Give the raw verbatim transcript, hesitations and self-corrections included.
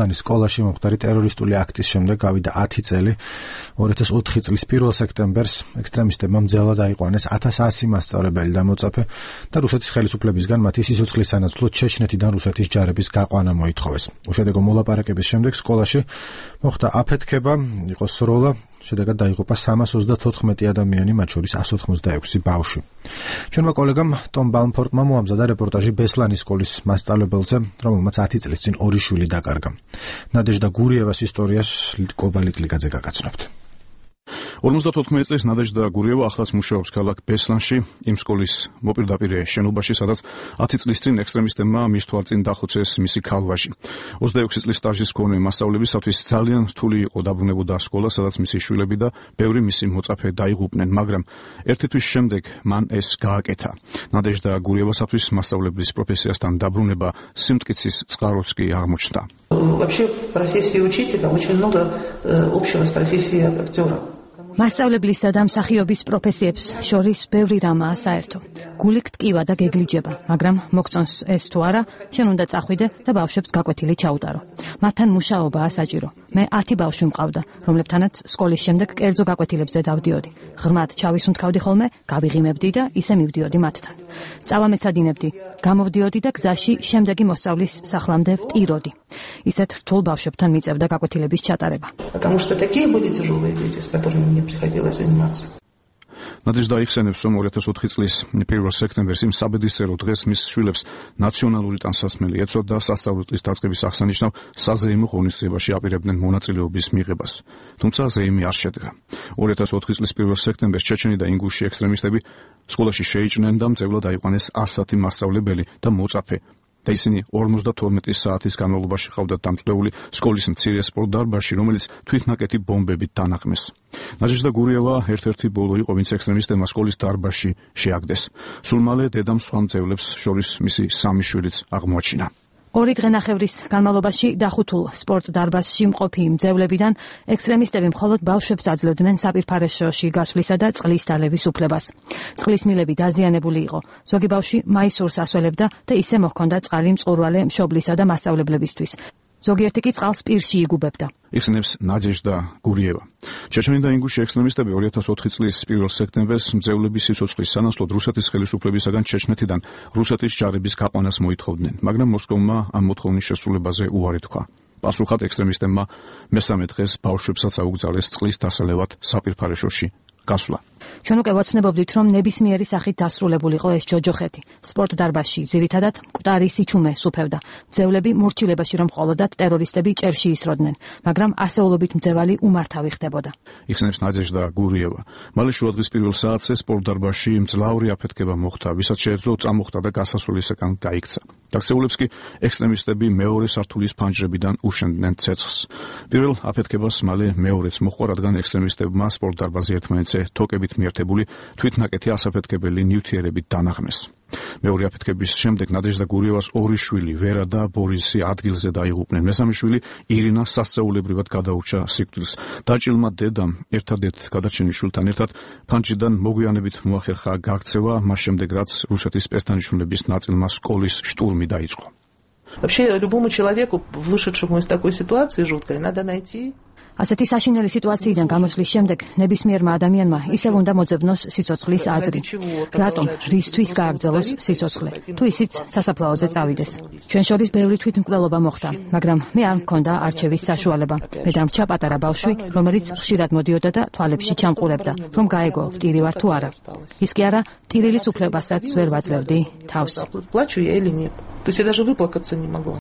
მუხტანის სკოლაში მომხდარი ტერორისტული აქტის შემდეგ გავიდა ათი წელი. ორი ათას ოთხი წლის პირველ სექტემბერს ექსტრემისტებმა მძევლად აიყვანეს ათას ასი მასწავლებელი და მოწაფე და რუსეთის ხელისუფლებისგან მათი სიცოცხლის სანაცვლოდ ჩეჩნეთიდან რუსეთის ჯარების გაყვანა მოითხოვეს. უშედეგო მოლაპარაკების შემდეგ სკოლაში მოხდა აფეთქება, იყო სროლა, შედეგად დაიღუპა სამას ოცდათოთხმეტი ადამიანი, მათ შორის ასი ოცდაექვსი ბავშვი. ჩვენმა კოლეგამ ტომ ბალმფორტმა მოამზადა რეპორტაჟი ბესლანის სკოლის მასწავლებელზე, რომელმაც ათი წლის წინ ორი შვილი დაკარგა. ნადეჟდა გურიევას ისტორიას კობა ლიკლიკაძე გაგაცნობთ. ორმოცდათოთხმეტი წლის ნადეჟდა გურიევა ახლაც მუშაობს ქალაქ ბესლანში, იმ სკოლის მოპირდაპირე შენობაში, სადაც ათი წლის წინ ექსტრემისტებმა მის თვალწინ დახოცეს მისი ქალვაჟი. ოცდაექვსი წლის სტაჟის მქონე მასწავლებისათვის ძალიან რთული იყო დაბრუნებოდა სკოლა, სადაც მისი შვილები და ბევრი მისი მოწაფე დაიღუპნენ, მაგრამ ერთი თვის შემდეგ მან ეს გააკეთა. ნადეჟდა გურიევასათვის მასწავლებლის პროფესიასთან დაბრუნება სიმტკიცის წყაროც კი აღმოჩნდა. Вообще в профессии учителя очень много общего с профессией актера. მასწავლებლისა და მსახიობის პროფესიებს შორის ბევრი რამაა საერთო. გული გტკივა და გეგლიჯება, მაგრამ მოგწონს ეს თუ არა, შენ უნდა წახვიდე და ბავშვებს გაკვეთილი ჩაუტარო. მათთან მუშაობაა საჭირო. მე ათი ბავშვი მყავდა, რომლებთანაც სკოლის შემდეგ კერძო გაკვეთილებზე დავდიოდი. ღრმად ჩავისუნთქავდი ხოლმე, გავიღიმებდი და ისე მივდიოდი მათთან. წავამეცადინებდი, გამოვდიოდი და გზაში შემდეგი მოსწავლის სახლამდე ვტიროდი. ისეთ რთულ ბავშვებთან მიწევდა გაკვეთილების ჩატარება. Потому что такие были тяжелые дети, с которыми мне приходилось заниматься. ნადეჟდა იხსენებს, რომ ორი ათას ოთხი წლის პირველ სექტემბერს იმ საბედისწერო დღეს მის შვილებს ნაციონალური ტანსაცმელი ეცვა და სასწავლო წლის დაწყების აღსანიშნავ საზეიმო ღონისძიებაში აპირებდნენ მონაწილეობის მიღებას. თუმცა ზეიმი არ შედგა. ორი ათას ოთხი წლის პირველ სექტემბერს ჩეჩენი და ინგუში ექსტრემისტები სკოლაში შეიჭრნენ და მძევლად აიყვანეს ასათი მასწავლებელი და მოწაფე. და ისინი ორმოცდათორმეტი საათის განმავლობაში ყავდათ დამწვდეული სკოლის მცირე სპორტ დარბაზში, რომელიც თვითნაკეთი ბომბებით დანაყმეს. ნადეჟდა გურიევა ერთ-ერთი ბოლო იყო, ვინც ექსტრემისტებმა სკოლის დარბაზში შეაგდეს. სულ მალე დედამ სხვა მძევლებს შორის მისი სამი შვილიც აღმოაჩინა. ორი დღენახევრის განმავლობაში დახუთულ სპორტ დარბაზში მყოფი მძევლებიდან ექსტრემისტები მხოლოდ ბავშვებს აძლევდნენ საპირფარეშოში გასვლისა და წყლის დალევის უფლებას. წყლის მილები დაზიანებული იყო. ზოგი ბავშვი მაისურს ასველებდა და ისე მოჰქონდა წყალი მწყურვალე მშობლისა და მასწავლებლებისთვის. ზოგიერთი კი წყალს პირში იგუბებდა. იხსენებს ნადეჟდა გურიევა. ჩეჩენი და ინგუში ექსტრემისტები ორი ათას ოთხი წლის პირველ სექტემბერს მძევლების სიცოცხლის სანაცვლოდ რუსეთის ხელისუფლებისაგან ჩეჩნეთიდან რუსეთის ჯარების გაყვანას მოითხოვდნენ, მაგრამ მოსკოვმა ამ მოთხოვნის შესრულებაზე უარი თქვა. პასუხად ექსტრემისტებმა მესამე დღეს ბავშვებსაც აუგზავნეს წყლის დასალევად საპირფარეშოში გასვლა. ჩვენ უკვე ვაცნებობდით, რომ ნებისმიერი სახით დასრულებულიყო ეს ჯოჯოხეთი. სპორტ დარბაზში ძირითადად მკვდარი სიჩუმე სუფევდა. მძევლები მორჩილებაში რომ მხოლოდათ ტერორისტები ჭერში ისროდნენ, მაგრამ ასეულობით მძევალი უმართავი ხდებოდა. იხსენებს ნადეჟდა გურიევა. მალე შუადღის პირველ საათზე სპორტ დარბაზში მძლავრი აფეთქება მოხდა, ვისაც შეეძლო წამოხტა და გასასვლელისაკენ გაიქცა. დაქცეულებს კი ექსტრემისტები მეორე სართულის ფანჯრებიდან უშენდნენ ცეცხლს. პირველ აფეთქებას მალე მეორეც მოჰყვა, რადგან ექსტრემისტებმა სპორტ დარბაზი ერთმანეთზე თოკებით მიერთებული თვითნაკეთი ასაფეთქებელი ნივთიერებით დანაღმეს. მეორე აფეთქების შემდეგ ნადეჟდა გურიევას ორი შვილი, ვერა და ბორისი ადგილზე დაიღუპნენ. მესამე შვილი ირინა სასწაულებრივად გადაურჩა სიკვდილს. დაჭილმა დედამ ერთადერთ გადარჩენილ შვილთან ერთად ფანჯრიდან მოგვიანებით მოახერხა გაქცევა, მას შემდეგ რაც რუსეთის სპეცდანიშნულების ნაწილმა სკოლის штурмი დაიწყო. Вообще любому человеку, вышедшему из такой ситуации жуткой, надо найти ასეთი საშინელი სიტუაციიდან გამოსვლის შემდეგ ნებისმიერმა ადამიანმა ისევ უნდა მოძებნოს სიცოცხლის აზრი. რატომ, რისთვის გააგრძელოს სიცოცხლე? თუ ისიც სასაფლაოზე წავიდეს. ჩვენ შორის ბევრი თვითმკვლელობა მოხდა, მაგრამ მე არ მქონდა არჩევის საშუალება. მე დამრჩა პატარა ბავშვი, რომელიც ხშირად მოდიოდა და თვალებში ჩამყურებდა, რომ გაეგო, ვტირი ვარ თუ არა. ის კი არა, ტირილის უფლებასაც ვერ ვაძლევდი თავს. Плачу я или нет? То есть я даже выплакаться не могла.